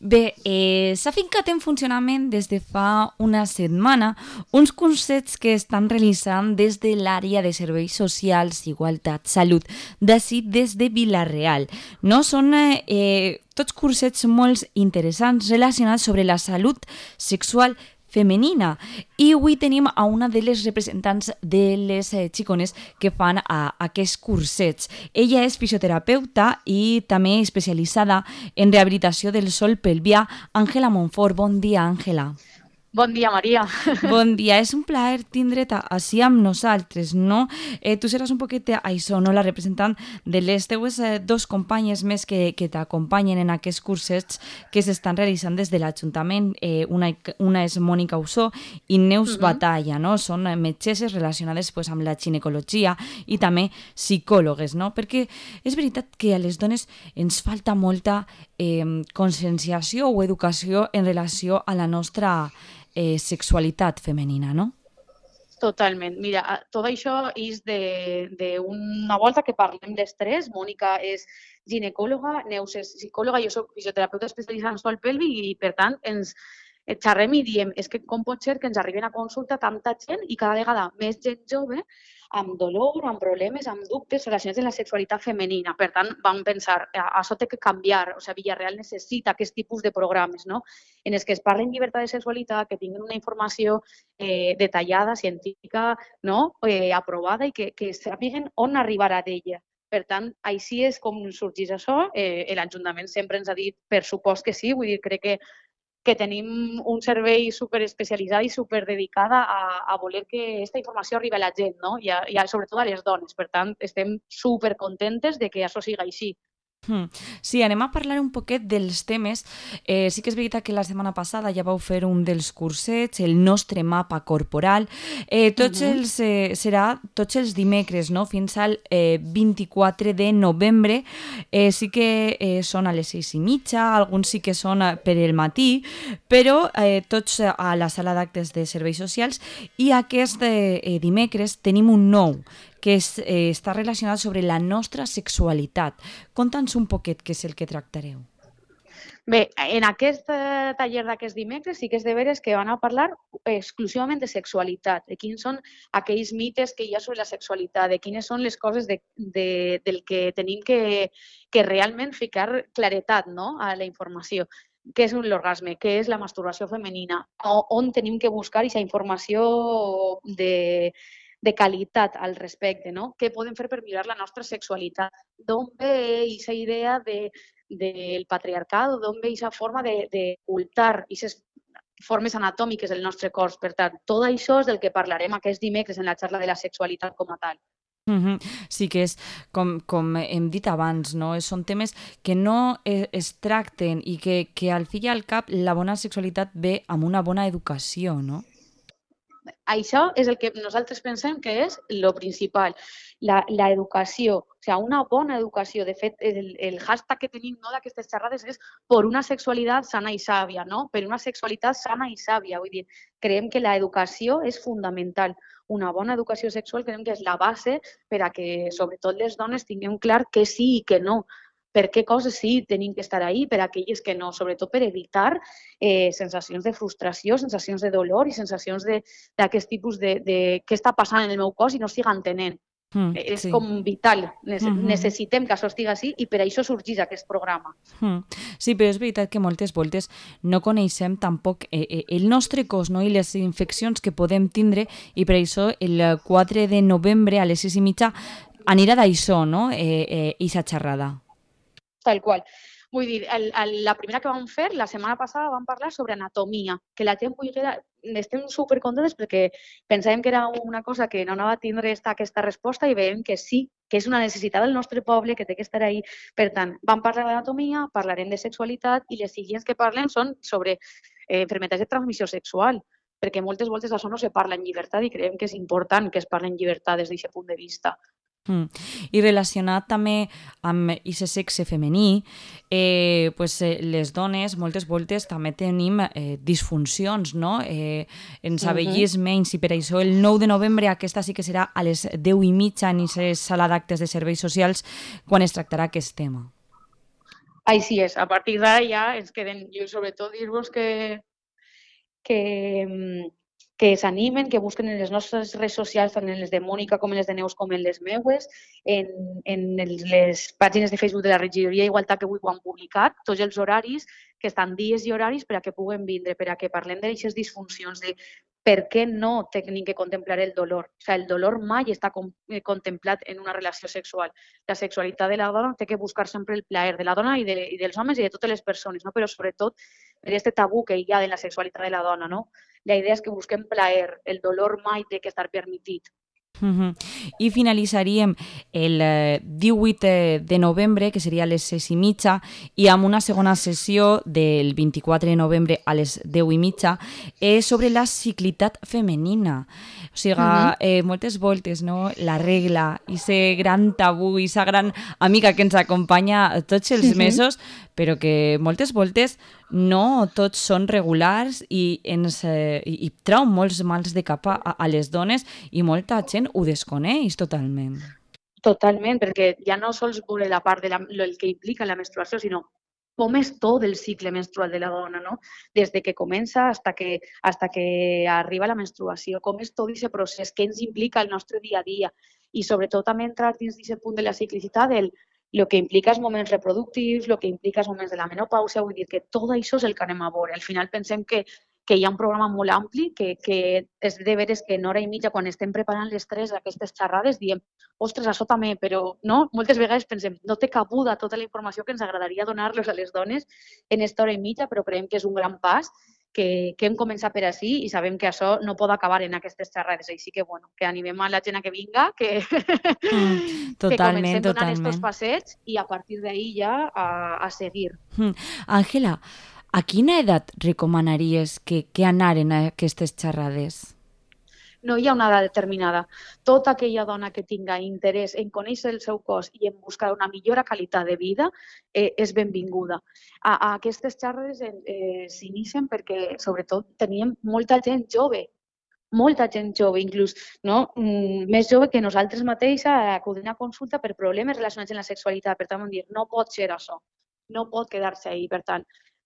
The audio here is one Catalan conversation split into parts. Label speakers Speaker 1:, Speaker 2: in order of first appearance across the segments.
Speaker 1: Bé, s'ha fincat en funcionament des de fa una setmana uns cursets que estan realitzant des de l'àrea de serveis socials, igualtat, salut, d'ací des de Vila-real. No? Són tots cursets molt interessants relacionats sobre la salut sexual femenina. I avui tenim a una de les representants de les xicones que fan aquests cursets. Ella és fisioterapeuta i també especialitzada en rehabilitació del sòl pelvià. Àngela Montfort, bon dia, Àngela.
Speaker 2: Bon dia, Maria.
Speaker 1: Bon dia, és un plaer tindre't així amb nosaltres, no? Tu seràs un poquet això, no? La representant de les teues dos companyes més que t'acompanyen en aquests cursets que s'estan realitzant des de l'Ajuntament. Una és Mònica Usó i Neus Batalla, no? Són metgesses relacionades pues, amb la ginecologia i també psicòlogues, no? Perquè és veritat que a les dones ens falta molta conscienciació o educació en relació a la nostra sexualitat femenina, no?
Speaker 2: Totalment. Mira, tot això és d'una volta que parlem d'estrès. Mònica és ginecòloga, Neus és psicòloga, jo soc fisioterapeuta especialitzada en sòl pèlvic i, per tant, ens xerrem i diem és que com pot ser que ens arriben a consulta tanta gent i cada vegada més gent jove amb dolor, amb problemes, amb dubtes relacionats amb la sexualitat femenina. Per tant, vam pensar, això té que canviar. O sigui, Villarreal necessita aquest tipus de programes, no? En els que es parli en llibertat de sexualitat, que tinguin una informació detallada, científica, no? Aprovada i que sàpiguen on arribarà d'ella. Per tant, així és com sorgeix això. L'Ajuntament sempre ens ha dit, per supost que sí, vull dir, crec que tenim un servei superespecialitzat i superdedicada a voler que aquesta informació arribi a la gent, no? I sobretot a les dones. Per tant, estem supercontentes de que això sigui així.
Speaker 1: Sí, anem a parlar un poquet dels temes. Sí que és veritat que la setmana passada ja vau fer un dels cursets, el nostre mapa corporal. Serà tots els dimecres, no? Fins al 24 de novembre. Sí que són a les 6:30, alguns sí que són per el matí, però tots a la sala d'actes de serveis socials. I aquest dimecres tenim un nou, que està relacionat sobre la nostra sexualitat. Conta'ns un poquet què és el que tractareu.
Speaker 2: Bé, en aquest taller d'aquest dimecres sí que és de veres que van a parlar exclusivament de sexualitat, de quins són aquells mites que hi ha sobre la sexualitat, de quines són les coses del que tenim que realment ficar claretat, no?, a la informació. Què és l'orgasme, què és la masturbació femenina, on tenim que buscar aquesta informació de qualitat al respecte, no? Què podem fer per millorar la nostra sexualitat? D'on ve aquesta idea del patriarcat, d'on ve aquesta forma d'ocultar aquestes formes anatòmiques del nostre cos? Per tant, tot això és del que parlarem aquest dimecres en la xarxa de la sexualitat com a tal.
Speaker 1: Sí que és, com hem dit abans, no? Són temes que no es tracten i que al fi i al cap la bona sexualitat ve amb una bona educació, no?
Speaker 2: Això és el que nosaltres pensem que és el principal, l'educació, o sigui, una bona educació. De fet, el hashtag que tenim, no, d'aquestes xerrades és per una sexualitat sana i sàvia, no? Per una sexualitat sana i sàvia. Vull dir, creiem que l'educació és fonamental. Una bona educació sexual creiem que és la base per a que, sobretot, les dones tinguem clar què sí i què no. Per què coses sí tenim que estar ahí, per aquelles que no, sobretot per evitar sensacions de frustració, sensacions de dolor i sensacions d'aquest tipus de què està passant en el meu cos i no estic entenent. És
Speaker 1: Sí.
Speaker 2: com vital. Necessitem que això estigui així i per això sorgeix aquest programa.
Speaker 1: Sí, però és veritat que moltes voltes no coneixem tampoc el nostre cos, no? I les infeccions que podem tindre, i per això el 4 de novembre a les 6:30 anirà d'això, no? Ixa xerrada.
Speaker 2: Tal qual. Vull dir, la primera que vam fer, la setmana passada, vam parlar sobre anatomia, que la gent estem supercontentes perquè pensàvem que era una cosa que no anava a tindre aquesta resposta i veiem que sí, que és una necessitat del nostre poble, que té que estar ahí. Per tant, vam parlar d'anatomia, parlarem de sexualitat i les següents que parlem són sobre enfermedats de transmissió sexual, perquè moltes voltes això no se parla en llibertat i creiem que és important que es parli en llibertat des d'aquest punt de vista.
Speaker 1: I relacionat també amb aquest sexe femení, les dones moltes voltes també tenim disfuncions, no? Ens avellís menys, i per això el 9 de novembre aquesta sí que serà a les 10:30 en aquesta sala d'actes de serveis socials quan es tractarà aquest tema.
Speaker 2: Així és, a partir d'ara ja ens queden, jo sobretot dir-vos que, que s'animen, que busquen en les nostres redes socials, tant en les de Mònica com en les de Neus com en les meues, les pàgines de Facebook de la Regidoria d'Igualtat que avui ho han publicat, tots els horaris, que estan dies i horaris per a que puguen vindre, per a que parlem d'aquestes disfuncions, de per què no tenen que contemplar el dolor. O sigui, el dolor mai està contemplat en una relació sexual. La sexualitat de la dona té que buscar sempre el plaer de la dona i dels homes i de totes les persones, no? Però sobretot per aquest tabú que hi ha de la sexualitat de la dona, no? La idea és que busquem plaer, el dolor mai té que estar permitit.
Speaker 1: I finalitzaríem el 18 de novembre, que seria a les 6:30, i amb una segona sessió del 24 de novembre a les 10:30 sobre la ciclitat femenina. O sigui, moltes voltes, no? La regla, aquest gran tabú, aquesta gran amiga que ens acompanya tots els mesos, però que moltes voltes no tots són regulars i trau molts mals de cap a les dones i molta gent ho desconeix totalment.
Speaker 2: Totalment, perquè ja no sols veure la part el que implica la menstruació, sinó com és tot el cicle menstrual de la dona, no? Des de que comença hasta que arriba la menstruació, com és tot aquest procés, què ens implica el nostre dia a dia i sobretot també entrar dins d'aquest punt de la ciclicitat, el que implica els moments reproductius, el que implica els moments de la menopàusia, vull dir que tot això és el que anem a veure. Al final pensem que hi ha un programa molt ampli, que és de veres que en hora i mitja, quan estem preparant les tres aquestes xerrades, diem, ostres, això també, però no? Moltes vegades pensem, no té cabuda tota la informació que ens agradaria donar-los a les dones en aquesta hora i mitja, però creiem que és un gran pas, que hem començat per així i sabem que això no pot acabar en aquestes xerrades. Així que, bueno, que animem a la gent a que vinga, que comencem donant estos passets i a partir d'ahí ja a seguir.
Speaker 1: Àngela, a quina edat recomanaries que anaren a aquestes xerrades?
Speaker 2: No hi ha una edat determinada. Tota aquella dona que tinga interès en conèixer el seu cos i en buscar una millora qualitat de vida és benvinguda. A aquestes xerrades s'inicien perquè, sobretot, teníem molta gent jove, inclús més jove que nosaltres mateixes, acudint a consulta per problemes relacionats amb la sexualitat. Per tant, vam dir, no pot ser això, no pot quedar-se ahí. Per tant,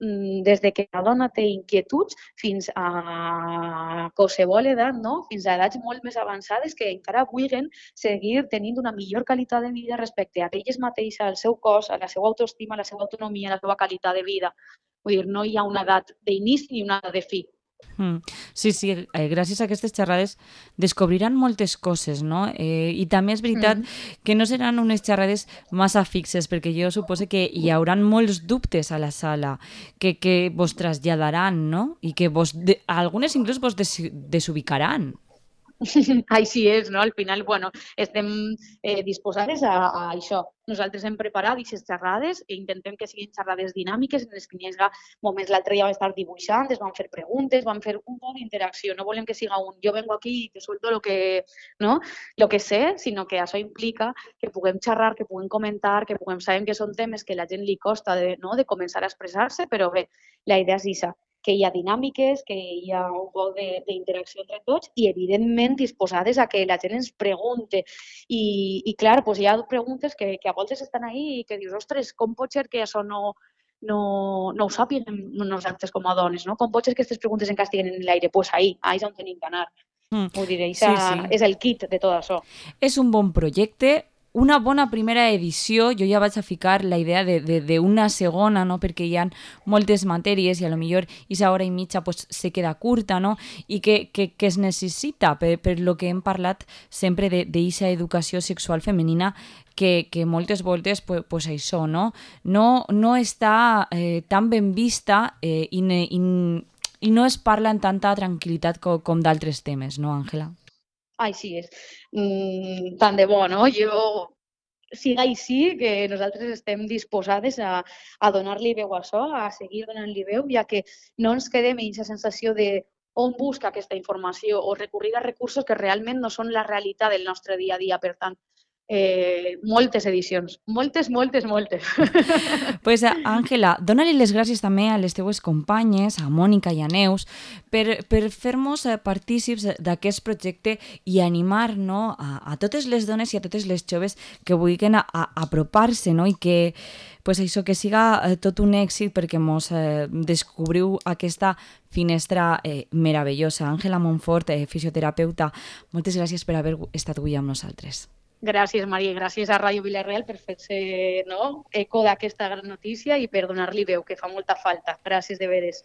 Speaker 2: des de que la dona té inquietuds fins a qualsevol edat, no? Fins a edats molt més avançades que encara vulguin seguir tenint una millor qualitat de vida respecte a elles mateixes, al seu cos, a la seva autoestima, a la seva autonomia, a la seva qualitat de vida. Vull dir, no hi ha una edat d'inici ni una edat de fi.
Speaker 1: Sí, gràcies a aquestes xerrades descobriran moltes coses, no? I també és veritat que no seran unes xerrades massa fixes, perquè jo suposo que hi haurà molts dubtes a la sala que vos traslladaran, no? I que algunes inclús vos desubicaran.
Speaker 2: Així és, no? Al final, bueno, estem disposades a això. Nosaltres hem preparat aquestes xerrades i intentem que siguin xerrades dinàmiques en les que hi hagi moments. L'altre dia vam estar dibuixant, es van fer preguntes, vam fer un poc d'interacció. No volem que siga jo vengo aquí i te suelto lo que sé, sinó que això implica que puguem xerrar, que puguem comentar, que puguem saber que són temes que a la gent li costa de començar a expressar-se, però bé, la idea és això, que hi ha dinàmiques, que hi ha un poc d'interacció entre tots i, evidentment, disposades a que la gent ens pregunte. I clar, doncs hi ha preguntes que a voltes estan ahí i que dius, ostres, com pot ser que això no ho sàpiguem nosaltres com a dones, no? Com pot ser que aquestes preguntes encara estiguen en l'aire? Doncs ahí és on tenim que anar. Vull dir, és el kit de tot això.
Speaker 1: És un bon projecte, una bona primera edició. Jo ja vaig a ficar la idea d'una segona, no? Perquè hi ha moltes matèries i a lo millor aquesta hora i mitja pues, se queda curta, no? I que es necessita per lo que hem parlat sempre d'aquesta educació sexual femenina que moltes voltes pues això, no està tan ben vista i no es parla en tanta tranquil·litat com d'altres temes, no, Àngela?
Speaker 2: Així és. Tant de bo, no? Siga així, que nosaltres estem disposades a donar-li veu a això, a seguir donant-li veu, ja que no ens quedem amb aquesta sensació de on busca aquesta informació o recurrir a recursos que realment no són la realitat del nostre dia a dia. Per tant, moltes edicions, moltes.
Speaker 1: Pues, Àngela, dona-li les gràcies també a les teues companyes, a Mònica i a Neus, per fer-nos partícips d'aquest projecte i animar, no, a totes les dones i a totes les joves que vulguin apropar-se, no, i que pues això, que siga tot un èxit perquè mos descobriu aquesta finestra meravellosa. Àngela Montfort, fisioterapeuta, moltes gràcies per haver estat avui amb nosaltres.
Speaker 2: Gràcies, Maria, gràcies a Ràdio Vila-real per fer-se eco d'aquesta gran notícia i per donar-li veu, que fa molta falta. Gràcies de veres.